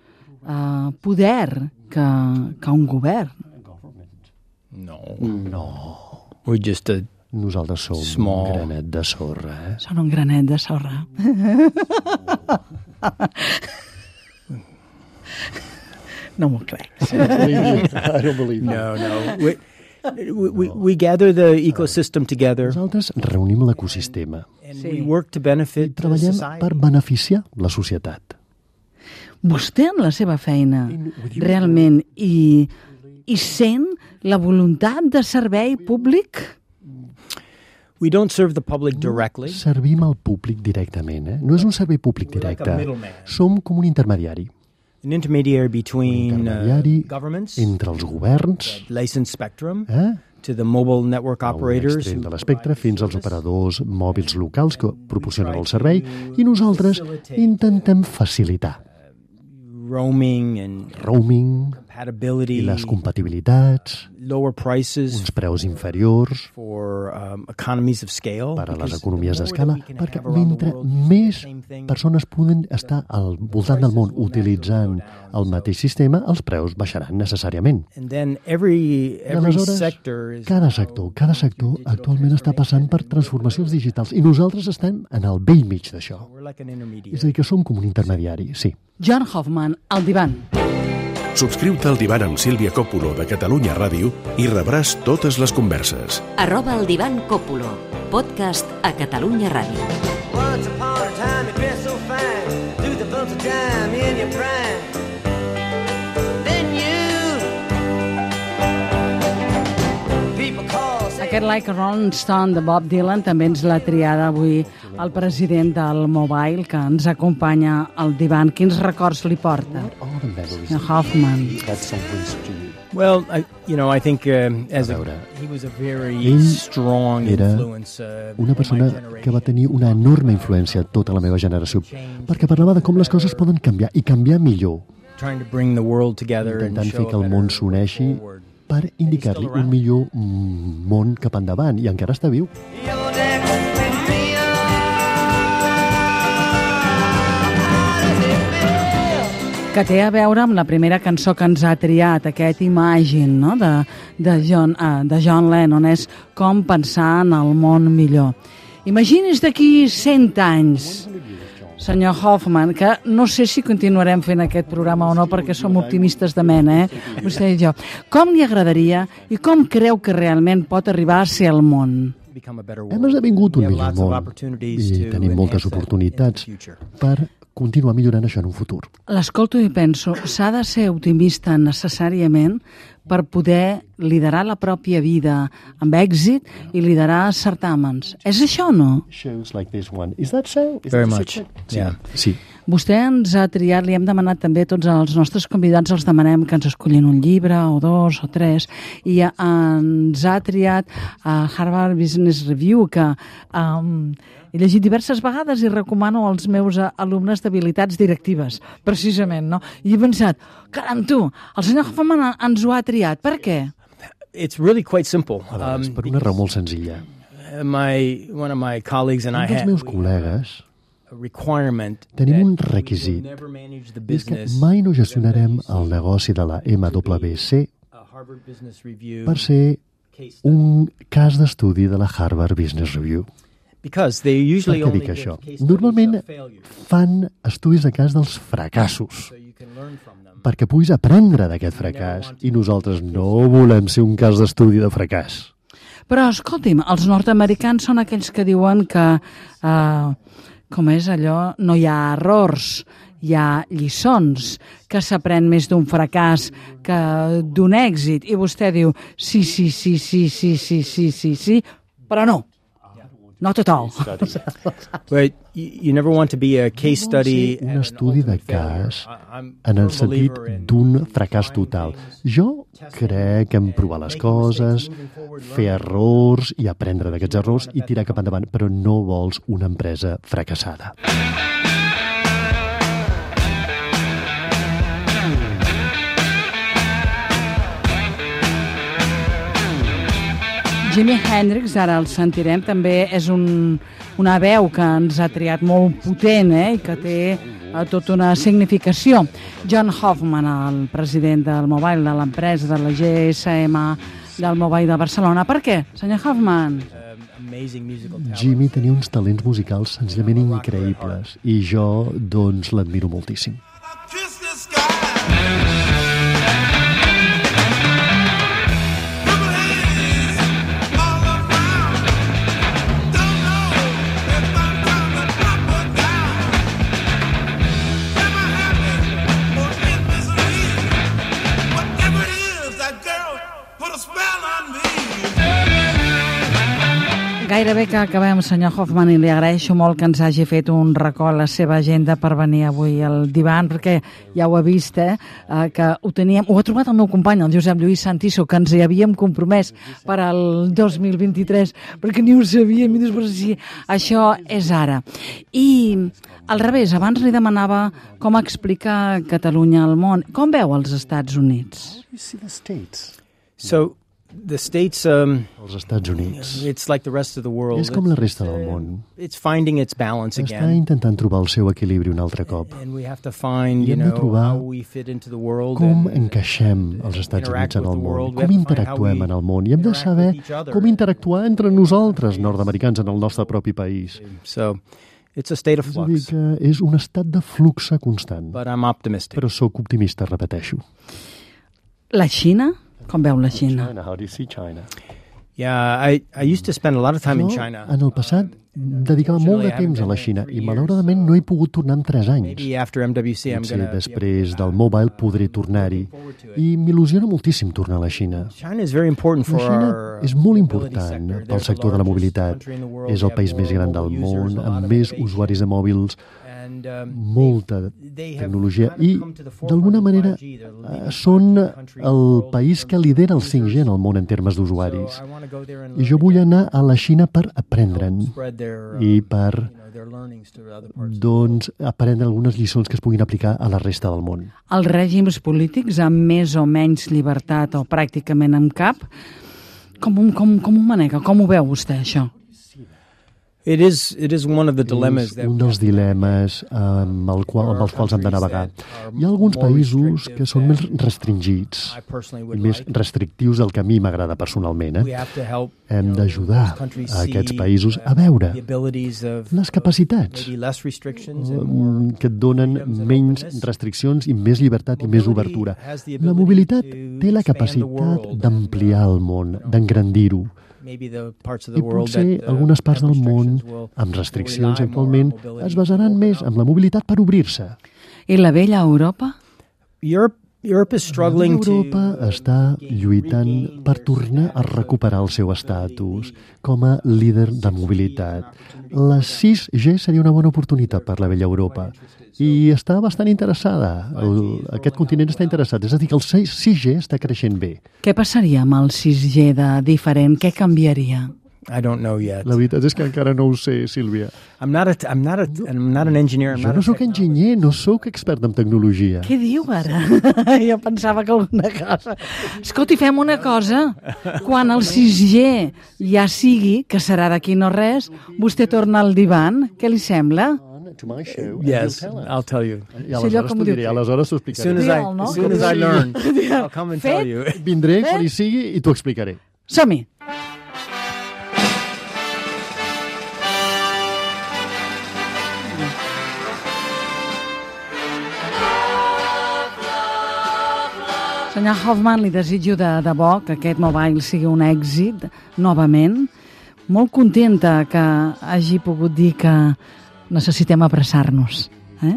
uh, poder que, que un govern. No. No. We're just a Nosaltres som small... un granet de sorra, eh? Són un granet de sorra. No m'ho crec. I don't believe it. No, no. We, we, we gather the ecosystem together. Nosaltres reunim l'ecosistema. And we work to benefit the Treballem society. per beneficiar la societat. Vostè en la seva feina realment i, i sent la voluntat de servei públic? We don't serve the public directly. Servim al públic directament, eh? No és un servei públic directe. Som com un intermediari. An intermediary between uh, governments, entre els governs, licensed spectrum, eh? to the mobile network operators, de l'espectre fins als operadors mòbils locals que proporcionen el servei, i nosaltres intentem facilitar roaming and roaming compatibility, i les compatibilitats, lower prices, uns preus inferiors for um, economies of scale, per a les economies d'escala, perquè mentre més persones poden estar al voltant del món utilitzant el mateix sistema, els preus baixaran necessàriament. And then every, every sector is... cada sector, cada sector actualment està passant per transformacions digitals i nosaltres estem en el vell mig d'això. És a dir, que som com un intermediari, sí. John Hoffman, al divan. Subscriu-te al divan amb Sílvia Coppola de Catalunya Ràdio i rebràs totes les converses. Arroba el divan Coppola, podcast a Catalunya Ràdio. Once upon a time you've been so fine, through the bumps of time in your prime. Then you people call. Aquest Like a Rolling Stone de Bob Dylan també ens l'ha triada avui el president del Mobile, que ens acompanya al divan. Quins records li porta? Hoffman. That song brings to you. Well, I, you know, I think uh, as A a, veure, he was a very ell strong era influence. Uh, una in my persona generation. que va tenir una enorme influència a tota la meva generació, perquè parlava de com les coses poden canviar, i canviar millor, Trying to bring the world together and intentant show fer que a el món better s'uneixi way forward. per indicar-li un millor mm, món cap endavant, i encara està viu. You're next to me. Que té a veure amb la primera cançó que ens ha triat, aquest Imagine, no? de, de, John, uh, de John Lennon, és com pensar en el món millor. Imagini's d'aquí cent anys, senyor Hoffman, que no sé si continuarem fent aquest programa o no, perquè som optimistes de mena, eh? Vostè i jo. Com li agradaria i com creu que realment pot arribar a ser el món? Hem esdevingut un millor món i tenim moltes oportunitats per continuar millorant això en un futur. L'escolto i penso, s'ha de ser optimista necessàriament per poder liderar la pròpia vida amb èxit i liderar certàmens. És això o no? Shows like this one. Is that so? Is Very that much, so? yeah. Sí. Vostè ens ha triat, li hem demanat també a tots els nostres convidats, els demanem que ens escollin un llibre o dos o tres, i ens ha triat a Harvard Business Review, que um, he llegit diverses vegades i recomano als meus alumnes d'habilitats directives, precisament, no? I he pensat, caram, tu, el senyor Hoffman ens ho ha triat. Per què? It's really quite simple. A vegades, per una raó molt senzilla. Uh, my, one of my colleagues and I Un dels had meus col·legues a requirement tenim un that we requisit, would never manage the és que business mai no gestionarem el negoci de la M W C a Harvard Business Review per ser case study. un cas d'estudi de la Harvard Business Review. Because they usually Per què only dic give això? case studies Normalment of failure, fan estudis de cas dels fracassos, so you can learn from them. perquè puguis aprendre d'aquest fracàs, i nosaltres no volem ser un cas d'estudi de fracàs. Però, escolti'm, els nord-americans són aquells que diuen que, uh, com és allò, no hi ha errors, hi ha lliçons, que s'aprèn més d'un fracàs que d'un èxit. I vostè diu, sí, sí, sí, sí, sí, sí, sí, sí, sí, però no. Not at all. But you, you never want to be a case study. Un estudi de cas I'm en el a firm sentit believer in d'un fracàs total. Jo crec en provar les coses, fer errors i aprendre d'aquests errors i tirar cap endavant, però no vols una empresa fracassada. Jimi Hendrix, ara el sentirem, també és un, una veu que ens ha triat molt potent, eh, i que té eh, tota una significació. John Hoffman, el president del Mobile, de l'empresa de la G S M A del Mobile de Barcelona. Per què, senyor Hoffman? amazing musical talent. Jimmy tenia uns talents musicals senzillament increïbles i jo, doncs, l'admiro moltíssim. Kiss the sky. Gairebé que acabem, senyor Hoffman, i li agraeixo molt que ens hagi fet un racó a la seva agenda per venir avui al divan, perquè ja ho ha vist, eh, que ho teníem, ho ha trobat el meu company, el Josep Lluís Santiso, que ens hi havíem compromès per al dos mil vint-i-tres, perquè ni ho sabíem, i després sí, això és ara. I al revés, abans li demanava com explica Catalunya al món. Com veu els Estats Units? So, the States, um, Els Estats Units it's like the rest of the world. és com la resta It's, del uh, món. It's finding its balance Està again. intentant trobar el seu equilibri un altre cop. And we have to find, I you hem de know, trobar how we fit into the world. Com and, encaixem els Estats interact Units en with el the món, world. We com have to find how interactuem we en el món, i hem de interact saber with each other. com interactuar entre nosaltres, nord-americans, en el nostre propi país. So, it's a state of És a dir, flux. que és un estat de flux constant. But I'm optimistic. Però sóc optimista, repeteixo. La Xina? Com veu la Xina? China, how do you see China? Yeah, I, I used to spend a lot of time in Jo, China. en el passat, dedicava molt de temps a la Xina i malauradament no he pogut tornar en tres anys. Maybe after M W C I'm Potser going to... després del mobile podré tornar-hi. I m'il·lusiona moltíssim tornar a la Xina. China is very important La for Xina our és molt mobility important sector. pel They're the sector de la largest mobilitat. country in the world. És They el have país more més gran del mobile users, món, a lot amb of més innovation. usuaris de mòbils molta tecnologia i, d'alguna manera, eh, són el país que lidera el cinc G en el món en termes d'usuaris. I jo vull anar a la Xina per aprendre'n i per doncs, aprendre algunes lliçons que es puguin aplicar a la resta del món. Els règims polítics amb més o menys llibertat o pràcticament amb cap, com, com, com ho manega? Com ho veu vostè, això? It is, it is one of the dilemmas És un dels dilemes amb, el qual, amb els quals hem de navegar. Hi ha alguns països que són més restringits i més restrictius del que a mi m'agrada personalment. Eh? Hem d'ajudar a aquests països a veure les capacitats que et donen menys restriccions i més llibertat i més obertura. La mobilitat té la capacitat d'ampliar el món, d'engrandir-ho. I potser algunes parts del món, amb restriccions actualment, es basaran més en la mobilitat per obrir-se. I la vella Europa? Europa està lluitant per tornar a recuperar el seu estatus com a líder de mobilitat. La sis G seria una bona oportunitat per la vella Europa i està bastant interessada. El, aquest continent està interessat. És a dir, que el sis G està creixent bé. Què passaria amb el sis G de diferent? Què canviaria? I don't know yet. La veritat és que encara no ho sé, Sílvia. I'm not a, I'm not a, I'm not an engineer. I'm jo not no sóc enginyer, no sóc expert en tecnologia. Què diu ara? Jo pensava que alguna cosa... Escolti, fem una cosa. Quan el sis G ja sigui, que serà d'aquí no res, vostè torna al divan. Què li sembla? To my show. Yes, I'll tell you. I aleshores t'ho diré, aleshores t'ho explicaré. As soon as I, as soon as I learn, I'll come and tell you. Vindré quan hi sigui i t'ho explicaré. Som-hi! Senyor Hoffman, li desitjo de debò que aquest mobile sigui un èxit, novament. Molt contenta que hagi pogut dir que necessitem abraçar-nos. Eh?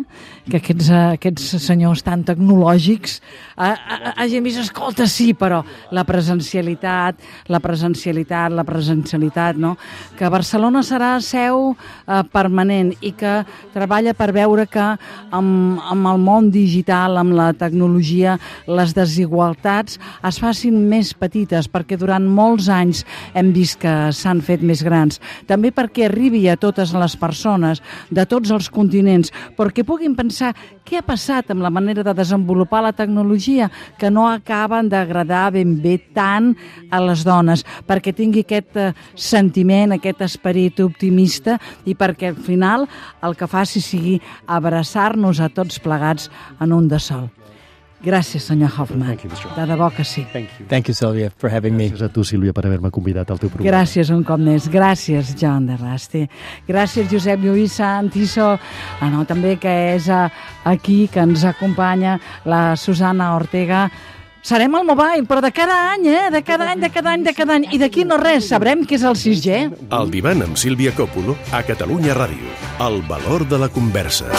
Que aquests, aquests senyors tan tecnològics eh, hagin vist, escolta, sí, però la presencialitat, la presencialitat, la presencialitat, no? Que Barcelona serà seu eh, permanent i que treballa per veure que amb, amb el món digital, amb la tecnologia, les desigualtats es facin més petites, perquè durant molts anys hem vist que s'han fet més grans. També perquè arribi a totes les persones de tots els continents, perquè puguin pensar què ha passat amb la manera de desenvolupar la tecnologia que no acaben d'agradar ben bé tant a les dones, perquè tingui aquest eh, sentiment, aquest esperit optimista i perquè al final el que faci sigui abraçar-nos a tots plegats en un de sol. Gràcies, senyor Hoffman. De debò que sí. Thank you. Thank you, Sylvia, for having me. Gràcies a tu, Sílvia, per haver-me convidat al teu programa. Gràcies un cop més. Gràcies, John de Rasti. Gràcies, Josep Lluís Santiso. Ah, no, també que és uh, aquí, que ens acompanya la Susana Ortega. Serem al mobile, però de cada any, eh? De cada any, de cada any, de cada any. I d'aquí no res, sabrem què és el sis G. El divan amb Sílvia Còpolo a Catalunya Ràdio. El valor de la conversa.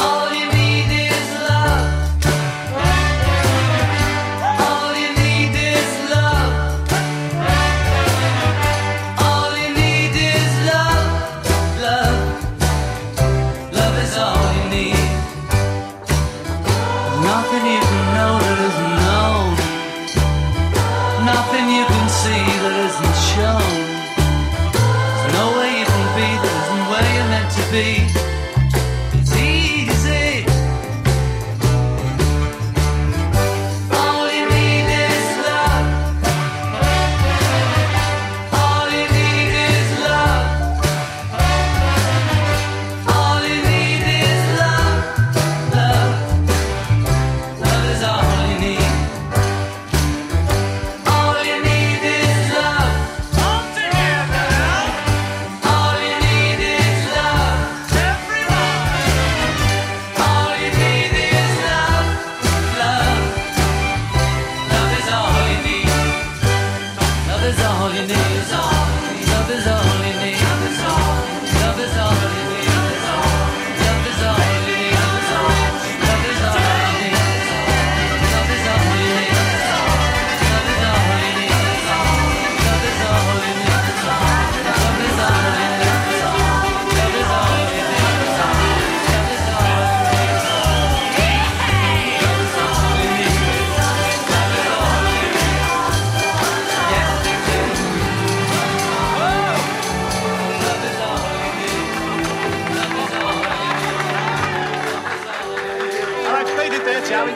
shall we?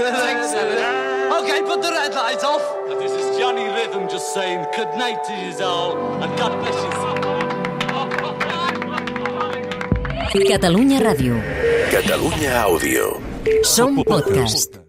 Thanks, Alan. Okay, put the red light off. This is Johnny Rhythm just saying good night to you all and God bless you. Catalunya Ràdio. Catalunya Àudio. Som podcast.